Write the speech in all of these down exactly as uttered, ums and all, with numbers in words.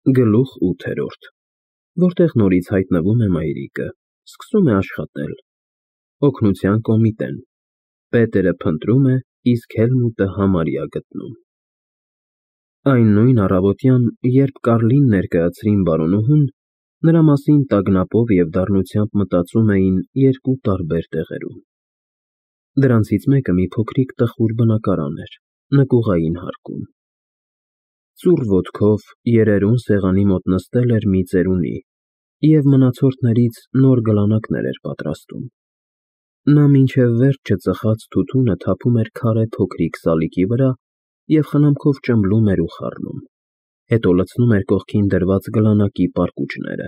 Գլուխ ութերորդ, որտեղ նորից հայտնվում է մայրիկը, սկսում է աշխատել, օգնության կոմիտեն, Պետերը փնտրում է, իսկ Հելմուտը համարյա գտնում։ Այն նույն առավոտյան, երբ Կարլին ներկայացրին բարոնուհուն, նրա մասին տագնապով և դառնությամբ մտածում էին երկու տարբեր տեղերում։ Դրանցից մեկը մի փոքրիկ տխուր բնակարան էր, նկուղային հարկում։ Ծուռ ոտքով երերուն սեղանի մոտ նստել էր մի ծերունի և մնացորդներից նոր գլանակներ էր պատրաստում։ Նա մինչև վերջը ծխած թութունը թափում էր քարե փոքրիկ սալիկի վրա և խնամքով ճմլում էր ու խառնում, հետո լցնում էր կողքին դրված գլանակի պարկուճները։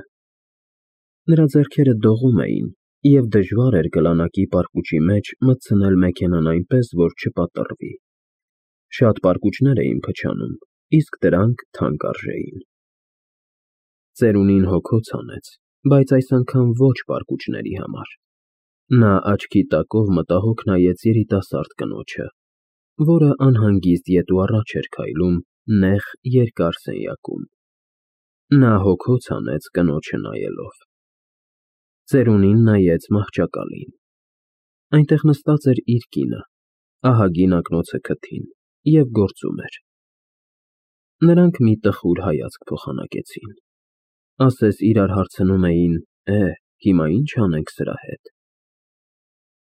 Նրա ձեռքերը դողում էին, և դժվար էր գլանակի պարկուճի մեջ մտցնել մեքենան այնպես, որ չպատռվի։ Շատ պարկուճներ էին փչանում, իսկ դրանք թանկ արժեին։ Ծերունին հոգոց հանեց, բայց այս անգամ ոչ պարկուճների համար։ Նա աչքի տակով մտահոգ նայեց երիտասարդ կնոջը, որը անհանգիստ ետ ու առաջ էր քայլում նեղ երկար սենյակում։ Նա հոգոց հանեց կնոջը նայելով։ Ծերունին նայեց մահճակալին։ Այնտեղ նստած էր իր կինը, ահագին ակնոցը քթին, և գործում էր։ Նրանք մի տխուր հայացք փոխանակեցին, ասես իրար հարցնում էին. «Է, հիմա ի՞նչ անենք սրա հետ»։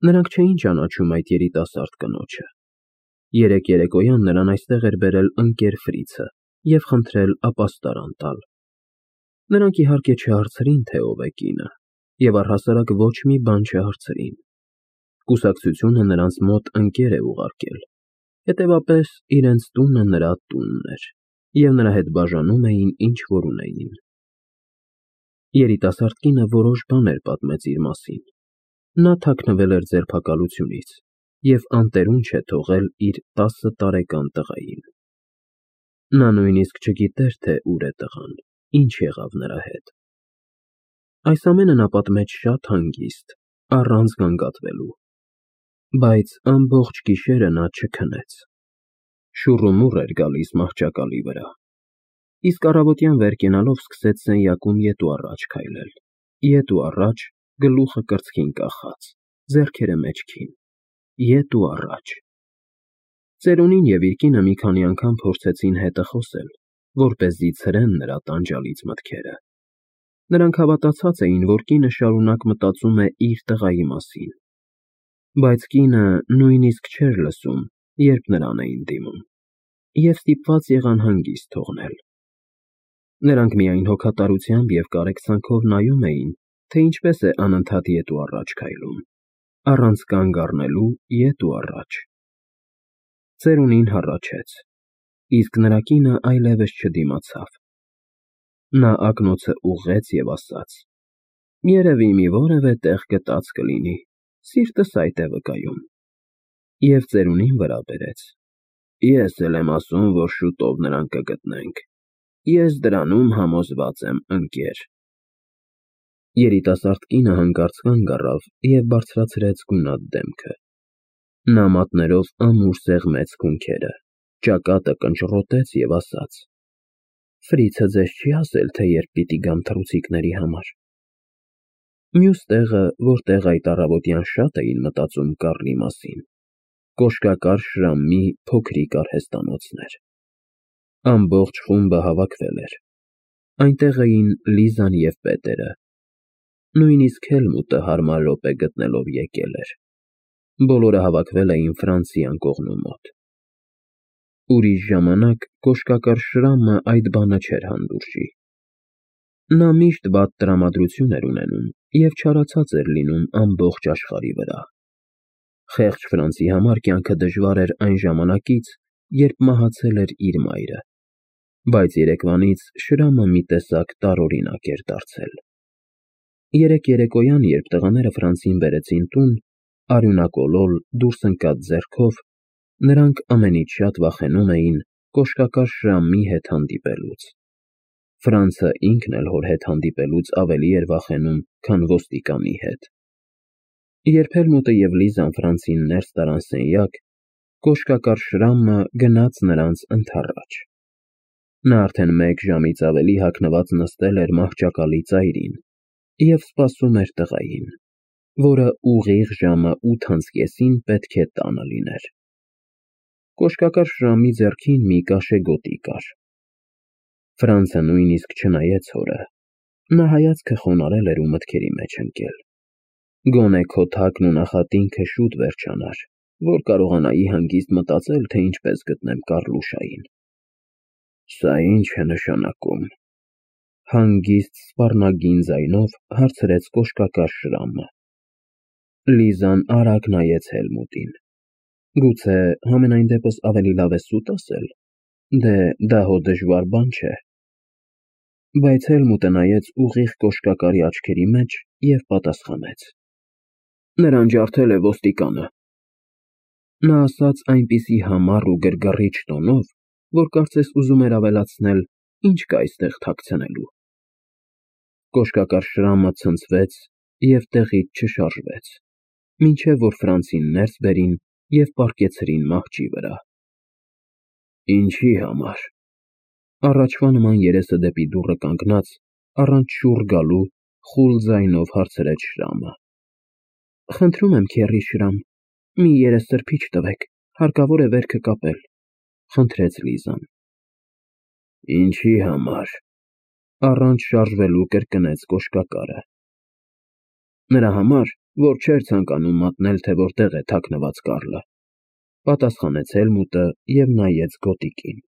Նրանք չէին ճանաչում այդ երիտասարդ կնոջը։ Երեկ երեկոյան նրան այստեղ էր բերել ընկեր Ֆրիցը և խնդրել ապաստարան տալ։ Նրանք իհարկե չհարցրին, թե ով է կինը, և առհասարակ ոչ մի բան չհարցրին։ Կուսակցությունը նրանց մոտ ընկեր է ուղարկել, հետևաբար իրենց տունը նրա տունն էր, և նրա հետ բաժանում էին, ինչ որ ունեին։ Երիտասարդ կինը որոշ բաներ պատմեց իր մասին։ Նա թաքնվել էր ձերբակալությունից և անտերուն չէ թողել իր տասը տարեկան տղային։ Նա նույնիսկ չգիտեր, թե ուր է տղան, ինչ եղավ նրա հետ։ Այս ամենը նա պատմեց շատ հանգիստ, առանց գանգատվելու։ Բայց ամբողջ գիշերը նա չքնեց։ Շուռումուռ էր գալիս մահճակալի վրա, իսկ առավոտյան վեր կենալով սկսեց սենյակում ետ ու առաջ քայլել, ետ ու առաջ, գլուխը կրծքին կախած, ձեռքերը մեջքին, ետ ու առաջ։ Ծերունին և իր կինը մի քանի անգամ փորձեցին հետը խոսել, որպեսզի ցրեն նրա տանջալից մտքերը։ Նրանք հավատացած էին, որ կինը շարունակ մտածում է իր տղայի մասին։ Բայց կինը նույնիսկ չէր լսում, երբ նրան էին դիմում, և ստիպված եղան հանգիստ թողնել։ Նրանք միայն հոգատարությամբ և կարեկցանքով նայում էին, թե ինչպես է անընդհատ ետ ու առաջ քայլում, առանց կանգ առնելու ետ ու առաջ։ Ծերունին հառաչեց, իսկ նրա կինը այլևս չդիմացավ։ Նա ակնոցը ուղղեց և ասաց. «Երևի մի որևէ տեղ գտած կլինի, սիրտս այդ է վկայում», և ծերունին վրա բերեց։ «Ես էլ եմ ասում, որ շուտով նրան կգտնենք, ես դրանում համոզված եմ, ընկեր»։ Երիտասարդ կինը հանկարծ կանգ առավ և բարձրացրեց գունատ դեմքը։ Նա մատներով ամուր սեղմեց քունքերը, ճակատը կնճռոտեց և ասաց. «Ֆրիցը ձեզ չի ասել, թե երբ պիտի գամ թռուցիկների համար»։ Մյուս տեղը, որտեղ այդ առավոտյան շատ էին մտածում Կարլի մասին, կոշկակար շրամի փոքրիկ արհեստանոցն էր։ Ամբողջ խումբը հավաքվել էր։ Այնտեղ էին Լիզան և Պետերը։ Նույնիսկ Հելմուտը հարմար րոպե գտնելով եկել էր։ Բոլորը հավաքվել էին Ֆրանսի անկողնու մոտ։ Ուրիշ ժամանակ կոշկակար շրամը այդ բանը չէր հանդուրժի։ Նա միշտ վատ տրամադրություն էր ունենում և չարացած էր լինում ամբողջ աշխարհի վրա։ Խեղճ Ֆրանսի համար կյանքը դժվար էր այն ժամանակից, երբ մահացել էր իր մայրը, բայց երեկվանից շրամը մի տեսակ տարօրինակ էր դարձել։ Երեկ երեկոյան, երբ տղաները Ֆրանսին բերեցին տուն, արյունակոլոլ, դուրս ընկած ձեռքով, նրանք ամենից շատ վախենում էին կոշկակար շրամի հետ հանդիպելուց։ Ֆրանցը ինքն էլ հոր հետ հանդիպելուց ավելի էր վախենում, քան ոստիկանի հետ։ Երբ Հելմուտը և Լիզան Ֆրանցին ներս տարան սենյակ, կոշկակար շրամը գնաց նրանց ընդառաջ։ Նա արդեն մեկ ժամից ավելի հագնված նստել էր մահճակալի ծայրին և սպասում էր տղային, որը ուղիղ ժամը ութ անց կեսին պետք է տանը լիներ։ Կոշկակար Շրամի ձեռքին մի կաշե գոտի կար։ Ֆրանցը նույնիսկ չնայեց հորը, նա հայացքը խոնարհել էր ու մտքերի մեջ ընկել։ Գոնե քո թակն ու նախատինքը շուտ վերջանար, որ կարողանայի հանգիստ մտածել, թե ինչպես գտնեմ Կառլուշային։ Սա ի՞նչ է նշանակում, հանգիստ սպառնագին ձայնով հարցրեց կոշկակար Շրամը։ Լիզան արագ նայեց Հելմուտին։ Գուցե համենայն դեպս ավելի լավ է սուտ ասել, դե դա հո դժվար բան չէ։ Բայց Հելմուտը նայեց ուղիղ կոշկակարի աչքերի մեջ և պատասխանեց. Նրան ջարդել է ոստիկանը։ Նա ասաց այնպիսի համառ ու գրգռիչ տոնով, որ կարծես ուզում էր ավելացնել. ինչ կա այստեղ թաքցնելու։ Կոշկակար Շրամը ցնցվեց և տեղից չշարժվեց, մինչև որ Ֆրանցին ներս բերին և պառկեցրին մահճի վրա։ Ինչի համար։ Առաջվա նման երեսը դեպի դուռը կանգնած, առանց շուռ գալու, խուլ ձայնով հարցրեց Շրամը։ Խնդրում եմ, քեռի Շրամ, մի երեսսրբիչ տվեք, հարկավոր է վերքը կապել, խնդրեց Լիզան։ Ինչի համար։ Առանց շարժվելու կրկնեց կոշկակարը։ Նրա համար, որ չէր ցանկանում մատնել, թե որտեղ է թաքնված Կարլը, պատասխանեց Հելմուտը և նայեց գոտիկին։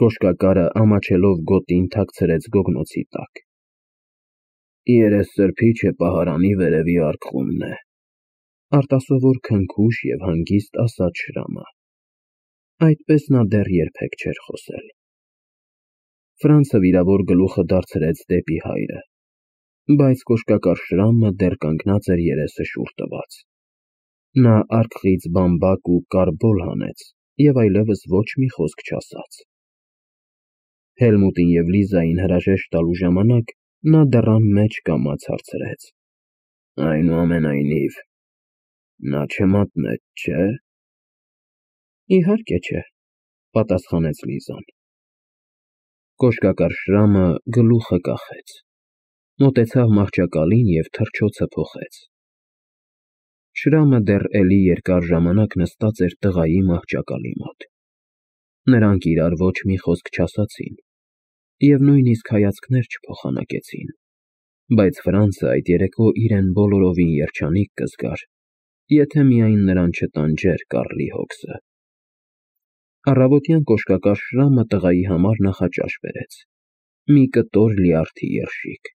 Կոշկակարը ամաչելով գոտին թաքցրեց գոգնոցի տակ։ Երեսսրբիչը պահարանի վերևի արկղումն է, արտասովոր քնքուշ և հանգիստ ասաց Շրամը։ Այդպես նա դեռ երբեք չէր խոսել։ Ֆրանցը վիրավոր գլուխը դարձրեց դեպի հայրը, բայց կոշկակար Շրամը դեռ կանգնած էր երեսը շուռ տված։ Նա արկղից բամբակ ու կարբոլ հանեց և այլևս ոչ մի խոսք չասաց։ Հելմուտին և Լիզային հրաժեշտ տալու ժամանակ նա դռան մեջ կամաց հարցրեց. Այնուամենայնիվ, նա չմատնեց, չէ՞։ Իհարկե չէ, պատասխանեց Լիզան։ Կոշկակար Շրամը գլուխը կախեց, մոտեցավ մահճակալին և թռչոցը փոխեց։ Շրամը դեռ էլի երկար ժամանակ նստած էր տղայի մահճակալի մոտ։ Նրանք իրար ոչ մի խոսք չասացին և նույնիսկ հայացքներ չփոխանակեցին, բայց Ֆրանցը այդ երեկո իրեն բոլորովին երջանիկ կզգար, եթե միայն նրան չտանջեր Կարլի հոգսը։ Առավոտյան կոշկակար Շրամը տղայի համար նախաճաշ բերեց, մի կտոր լյարդի երշիկ։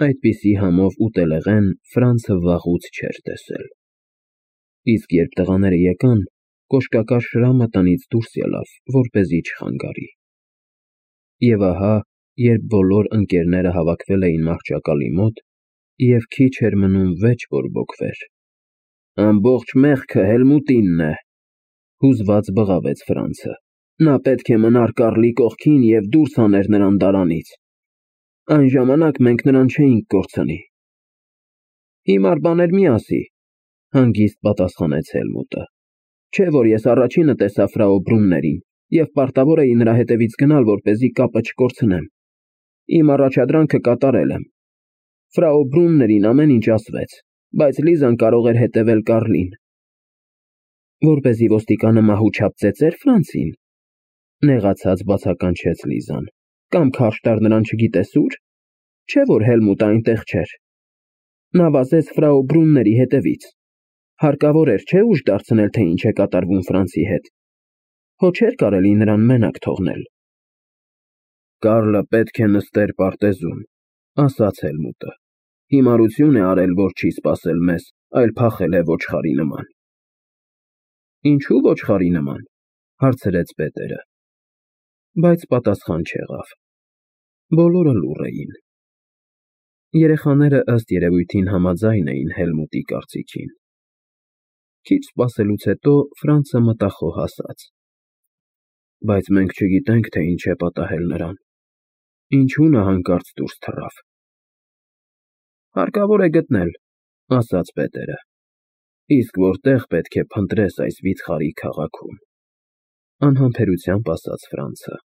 Այդպիսի համով ուտելեղեն Ֆրանցը վաղուց չէր տեսել։ Իսկ երբ տղաները եկան, կոշկակար Շրամը տնից դուրս ելավ, որպեսզի չխանգարի։ Եվ ահա, երբ բոլոր ընկերները հավաքվել էին մահճակալի մոտ, և քիչ էր մնում վեճ բորբոքվեր, ամբողջ մեղքը Հելմուտինն է, հուզված բղավեց Ֆրանցը։ Նա պետք է մնար Կարլի կողքին և դուրս հաներ նրան դարանից։ Այն ժամանակ մենք նրան չէինք կորցնի։ Հիմար բաներ մի ասի, հանգիստ պատասխանեց Հելմուտը։ Չէ որ ես առաջինը տեսա ֆրау Բրուններին և պարտավոր էի նրա հետևից գնալ, որպեսզի կապը չկորցնեմ։ Իմ առաջադրանքը կատարել եմ։ Ֆրау Բրուններին ամեն ինչ ասվեց, բայց Լիզան կարող էր հետևել Կարլին։ Որպեսզի ոստիկանը մահուչապ ծեծեր Ֆրանցին, նեղացած բացականչեց Լիզան, կամ քարշ տար նրան չգիտես ուր։ Չէ որ Հելմուտը այնտեղ չէր։ Նա վազեց ֆրау Բրունների հետևից։ Հարկավոր էր, չէ՞, ուժ դարձնել, թե ինչ է կատարվում Ֆրանցի հետ։ Հո չէր կարելի նրան մենակ թողնել։ Կարլը պետք է նստեր պարտեզում, ասաց Հելմուտը։ Հիմարություն է արել, որ չի սպասել մեզ, այլ փախել է ոչխարի նման։ Ինչու ոչխարի նման, հարցրեց պետերը։ Բայց պատասխան չեղավ։ Բոլորը լուռ էին։ Երեխաները ըստ երևույթին համաձայն էին Հելմուտի կարծիքին։ Քիչ սպասելուց հետո Ֆրանցը մտախոհ ասաց. Բայց մենք չգիտենք, թե ինչ է պատահել նրան։ Ինչու նա հանկարծ դուրս թռավ։ Հարկավոր է գտնել, ասաց պետերը։ Իսկ որտեղ պետք է փնտրես այս վիթխարի քաղաքում, անհամբերությամբ ասաց Ֆրանցը։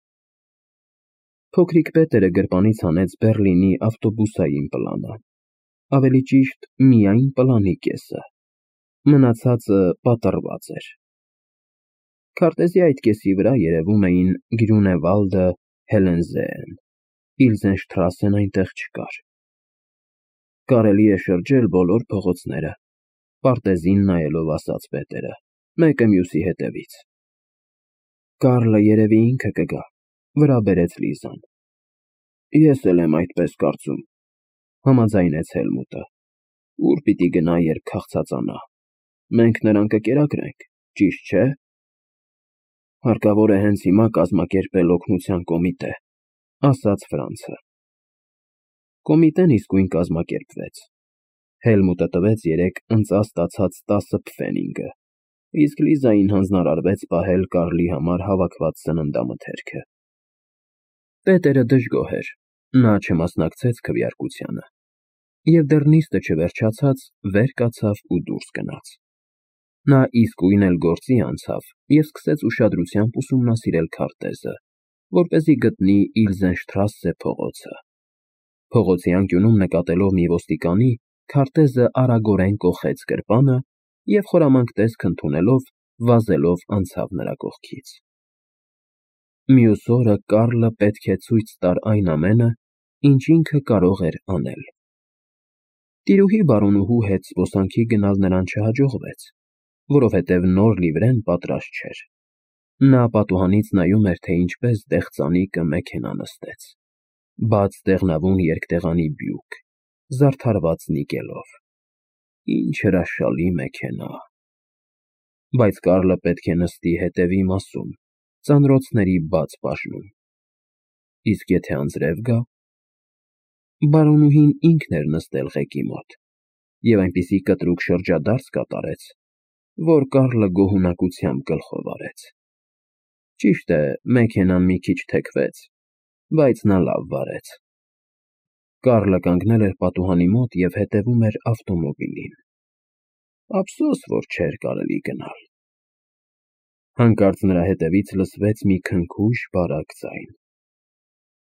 Փոքրիկ Պետերը գրպանից հանեց Բեռլինի ավտոբուսային պլանը, ավելի ճիշտ միայն պլանի կեսը, մնացածը պատռված էր։ Քարտեզի այդ կեսի վրա երևում էին Գրյունևալդը, Հելենզեեն, Իլզենշտրասեն այնտեղ չկար։ Կարելի է շրջել բոլոր փողոցները, պարտեզին նայելով ասաց Պետերը, մեկը մյուսի հետևից։ Կարլը երևի ինքը կգա, վրա բերեց Լիզան։ Ես էլ եմ այդպես կարծում, համաձայնեց Հելմուտը։ Ուր պիտի գնա, երբ քաղցածանա։ Մենք նրան կկերակրենք, ճիշտ չէ։ Հարկավոր է հենց հիմա կազմակերպել օգնության կոմիտե, ասաց Ֆրանցը։ Կոմիտեն իսկույն կազմակերպվեց։ Հելմուտը տվեց երեք ընծա ստացած տասը պֆենինգը, իսկ Լիզային հանձնարարվեց պահել Կարլի համար հավաքված սննդամթերքը։ Պետերը դժգոհ էր, նա չմասնակցեց քվեարկությանը, և դեռ նիստը չվերջացած վեր կացավ ու դուրս գնաց։ Նա իսկույն էլ գործի անցավ և սկսեց ուշադրությամբ ուսումնասիրել քարտեզը, որպեսզի գտնի Իլզենշտրասե փողոցը։ Փողոցի անկյունում նկատելով մի ոստիկանի, քարտեզը արագորեն կոխեց գրպանը և խորամանկ տեսք ընդունելով, վազելով անցավ նրա կողքից։ Մյուս օրը Կարլը պետք է ցույց տար այն ամենը, ինչ ինքը կարող էր անել։ Տիրուհի բարոնուհու հետ զբոսանքի գնալ նրան չհաջողվեց, որովհետև նոր լիվրեն պատրաստ չէր։ Նա պատուհանից նայում էր, թե ինչպես դեղծանիկը մեքենա նստեց, բաց դեղնավուն երկտեղանի բյուք, զարդարված նիկելով։ Ինչ հրաշալի մեքենա։ Բայց Կարլը պետք է նստի հետևի մասում, ծանրոցների բաց բաժնում։ Իսկ եթե անձրև գա։ Բարոնուհին ինքն էր նստել ղեկի մոտ և այնպիսի կտրուկ շրջադարձ կատարեց, որ Կարլը գոհունակությամբ գլխով արեց։ Ճիշտ է, մեքենան մի քիչ թեքվեց, բայց նա լավ վարեց։ Կարլը կանգնել էր պատուհանի մոտ և հետևում էր ավտոմոբիլին։ Ափսոս, որ չէր կարելի գնալ։ Հանկարծ նրա հետևից լսվեց մի քնքուշ, բարակ ձայն.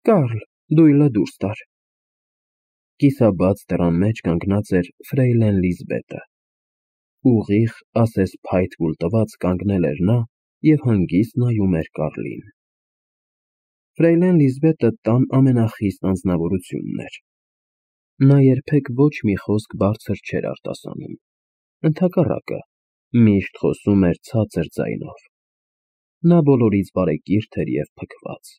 Կարլ, դույլը դուրս տար։ Կիսաբաց դռան մեջ կանգնած էր ֆրեյլեն Լիզբետը։ Ուղիղ, ասես փայտ կուլ տված կանգնել էր նա և հանգիստ նայում էր Կարլին։ Ֆրեյլեն Լիզբետը տան ամենախիստ անձնավորությունն էր։ Նա երբեք ոչ մի խոսք բարձր չէր արտասանում, ընդհակառակը, միշտ խոսում էր ցածր ձայնով։ Նա բոլորից բարեկիրթ էր և փքված,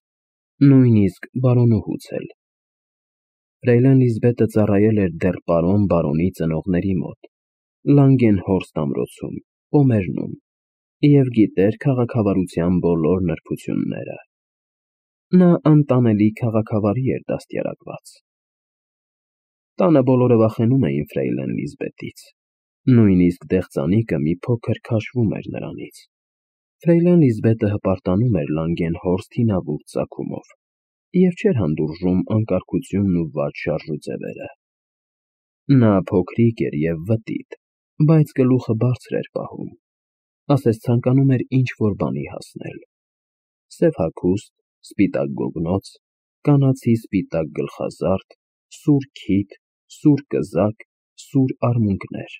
նույնիսկ բարոնուհուց էլ։ Ֆրեյլեն Լիզբետը ծառայել էր դեռ պարոն բարոնի ծնողների մոտ, Լանգենհորստ ամրոցում, Պոմերնում, և գիտեր քաղաքավարության բոլոր նրբությունները։ Նա անտանելի քաղաքավարի էր դաստիարակված։ Տանը բոլորը վախենում էին ֆրեյլեն Լիզբետից, նույնիսկ դեղծանիկը մի փոքր քաշվում էր նրանից։ Ֆրեյլեն Լիզբետը հպարտանում էր Լանգենհորստ հինավուրց ծագումով և չէր հանդուրժում անկարգությունն ու վատ շարժուձևերը։ Նա փոքրիկ էր և վտիտ, բայց գլուխը բարձր էր պահում, ասես ցանկանում էր ինչ-որ բանի հասնել։ Սև հագուստ, սպիտակ գոգնոց, կանացի սպիտակ գլխազարդ, սուր քիթ, սուր կզակ, սուր արմունկներ։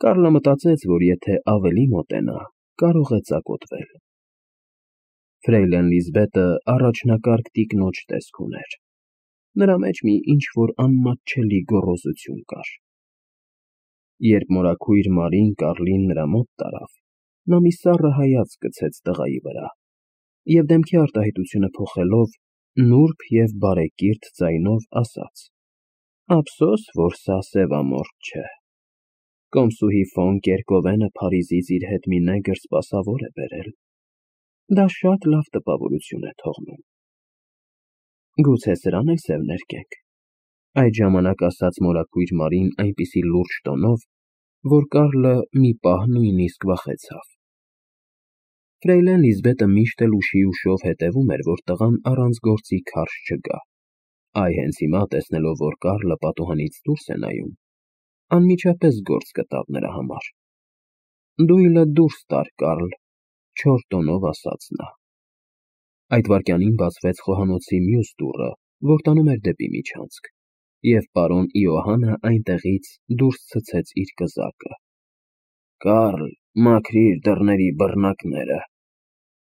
Կարլը մտածեց, որ եթե ավելի մոտենա, կարող է ծակոտվել։ Ֆրեյլեն Լիզբետը առաջնակարգ տիկնոջ տեսք ուներ։ Նրա մեջ մի ինչ-որ անմատչելի գոռոզություն կար։ Երբ մորաքույր Մարին Կարլին նրա մոտ տարավ, նա մի սառը հայացք գցեց տղայի վրա և դեմքի արտահայտությունը փոխելով, նուրբ և բարեկիրթ ձայնով ասաց. Ափսոս, որ սա սևամորթ չէ։ Կոմսուհի ֆոն Կերկովենը Փարիզից իր հետ մի նեգր սպասավոր է բերել։ Դա շատ լավ տպավորություն է թողնում։ Գուցե սրան էլ սև ներկենք, այդ ժամանակ ասաց մորաքույր Մարին այնպիսի լուրջ տոնով, որ Կարլը մի պահ նույնիսկ վախեցավ։ Ֆրեյլեն Լիզբետը միշտ էլ ուշի ուշով հետևում էր, որ տղան առանց գործի քարշ չգա։ Այ հենց հիմա, տեսնելով, որ Կարլը պատուհանից դուրս է նայում, անմիջապես գործ գտավ նրա համար։ Դույլը դուրս տար, Կարլ, չոր տոնով ասաց նա։ Այդ վայրկյանին բացվեց խոհանոցի մյուս դուռը, որ տանում էր դեպի միջանցք, և պարոն Իոհանը այնտեղից դուրս ցցեց իր կզակը։ «Կարլ, մաքրիր դռների բռնակները»,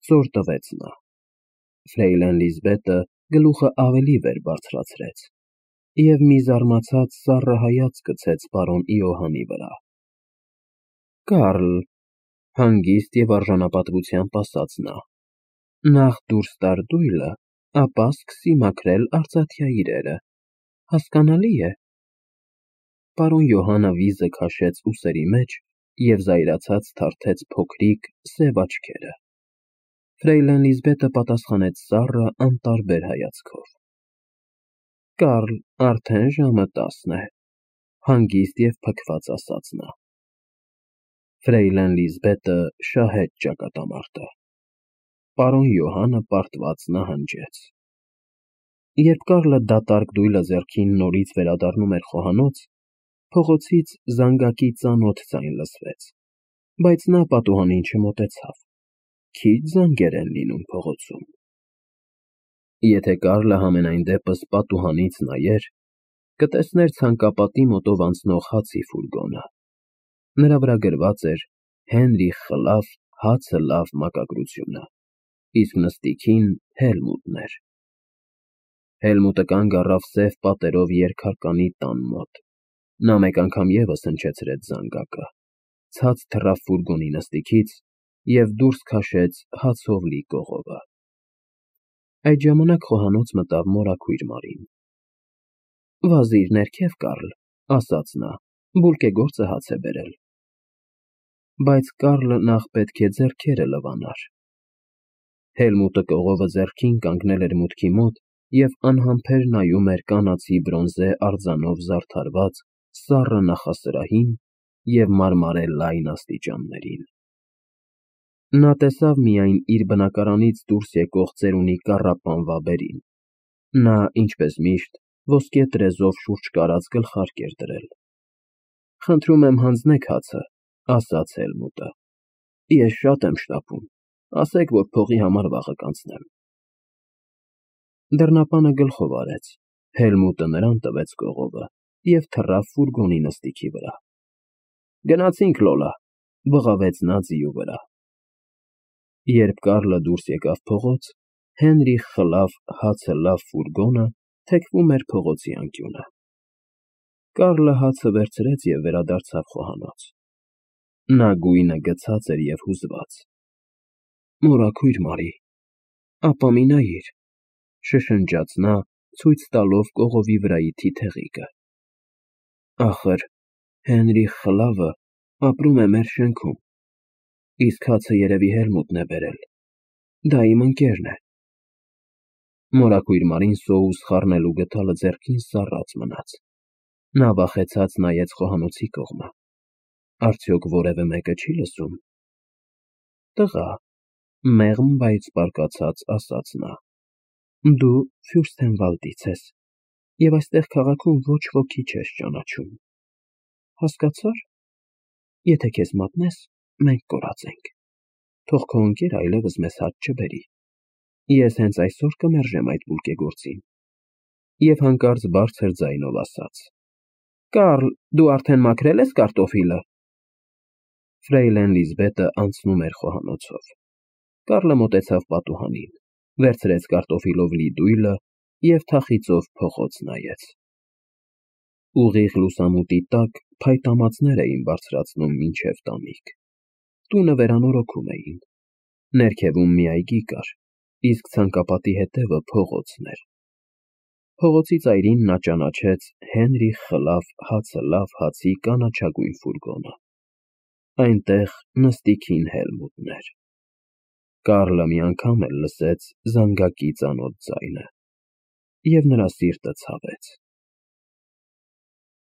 զոր տվեց նա։ Ֆրեյլեն Լիզբետը գլուխը ավելի վեր բարձրացրեց և մի զարմացած սառը հայացք գցեց պարոն Իոհանի վրա։ «Կարլ», հանգիստ և արժանապատվությամբ ասաց նա, «նախ դուրս տար դույլը, ապա սկսի մաքրել արծաթյա իրերը, հասկանալի՞ է»։ Պարոն Իոհանը վիզը քաշեց ուսերի մեջ և զայրացած թարթեց փոքրիկ, սև աչքերը։ Ֆրեյլեն Լիզբետը պատասխանեց սառը, անտարբեր հայացքով։ «Կարլ, արդեն ժամը տասն է», հանգիստ և փքված ասաց նա։ Ֆրեյլեն Լիզբետը շահեց ճակատամարտը։ Պարոն Իոհանը պարտված նահանջեց։ Երբ Կարլը դատարկ դույլը ձեռքին նորից վերադառնում էր խոհանոց, փողոցից զանգակի ծանոթ ձայն լսվեց, բայց նա պատուհանին չմոտեցավ։ Քիչ զանգեր են լինում փողոցում։ Եթե Կարլը համենայն դեպս պատուհանից նայեր, կտեսներ ցանկապատի մոտով անցնող հացի ֆուրգոնը։ Նրա վրա գրված էր «Հենրիխ խլավ, հացը լավ» մակագրությունը, իսկ նստիքին Հելմուտն էր։ Հելմուտը կանգ առավ սև պատերով երկհարկանի տան մոտ։ Նա մեկ անգամ ևս հնչեցրեց զանգակը, ցած թռավ ֆուրգոնի նստիքից և դուրս քաշեց հացով լի կողովը։ Այդ ժամանակ խոհանոց մտավ մորաքույր Մարին։ «Վազիր ներքև, Կարլ», ասաց նա, «բուլկեգործը հաց է բերել»։ Բայց Կարլը նախ պետք է ձեռքերը լվանար։ Հելմուտը կողովը ձեռքին կանգնել էր մուտքի մոտ և անհամբեր նայում էր կանացի բրոնզե արձանով զարդարված սառը նախասրահին և մարմարե լայն աստիճաններին։ Նա տեսավ միայն իր բնակարանից դուրս եկող ծերունի կառապան վաբերին։ Նա, ինչպես միշտ, ոսկե տրեզով շուրջ կարած գլխարկ էր դրել։ «Խնդրում եմ, հանձնեք հացը», ասաց Հելմուտը։ «Ես շատ եմ շտապում, ասեք, որ փողի համար վաղը կանցնեմ»։ Դռնապանը գլխով արեց, Հելմուտը նրան տվեց կողովը և թռավ ֆուրգոնի նստիքի վրա։ «Գնացինք, Լոլա», բղավեց նա ձիու վրա։ Երբ Կարլը դուրս եկավ փողոց, Հենրիխ խլավ, հացը լավ ֆուրգոնը թեքվում էր փողոցի անկյունը։ Կարլը հացը վերցրեց և վերադարձավ խոհանոց։ Նա գույնը գցած էր և հուզված։ «Մորաքույր Մարի, ապա մի նայիր», շշնջաց նա, ցույց տալով կողովի վրայի թիթեղիկը։ «Ախր Հենրիխ խլավը ապրում է մեր շենքում, իսկ հացը երևի Հելմուտն է բերել, դա իմ ընկերն է»։ Մորաքույր Մարին սոուս խառնելու գդալը ձեռքին սառած մնաց։ Նա վախեցած նայեց խոհանոցի կողմը։ Արդյոք որևէ մեկը չի լսում։ «Տղա», մեղմ, բայց բարկացած ասաց նա, «դու Ֆյուրստենվալդից ես և այստեղ քաղաքում ոչ ոքի չես ճանաչում։ Հասկացա՞ր։ Եթե քեզ մատնես, մենք կորածենք։ Թող քո ընկերը այլևս մեզ հաց չբերի։ Ես հենց այսօր կմերժեմ այդ բուլկեգործին»։ Եվ հանկարծ բարձր ձայնով ասաց. «Կարլ, դու արդեն մաքրել ես կարտոֆիլը»։ Ֆրեյլեն Լիզբետը անցնում էր խոհանոցով։ Կարլը մոտեցավ պատուհանին, վերցրեց կարտոֆիլով լի դույլը և թախիծով փողոց նայեց։ Ուղիղ լուսամուտի տակ փայտամածներ էին բարձրացնում մինչև տանիք։ Տունը վերանորոգում էին։ Ներքևում մի այգի կար, իսկ ցանկապատի հետևը փողոցն էր։ Փողոցի ծայրին նա ճանաչեց Հենրիխ խլավ, հացը լավ հացի կանաչագույն ֆուրգոնը։ Այնտեղ նստիքին Հելմուտն էր։ Կարլը մի անգամ էլ լսեց զանգակի ծանոթ ձայնը, և նրա սիրտը ցավեց։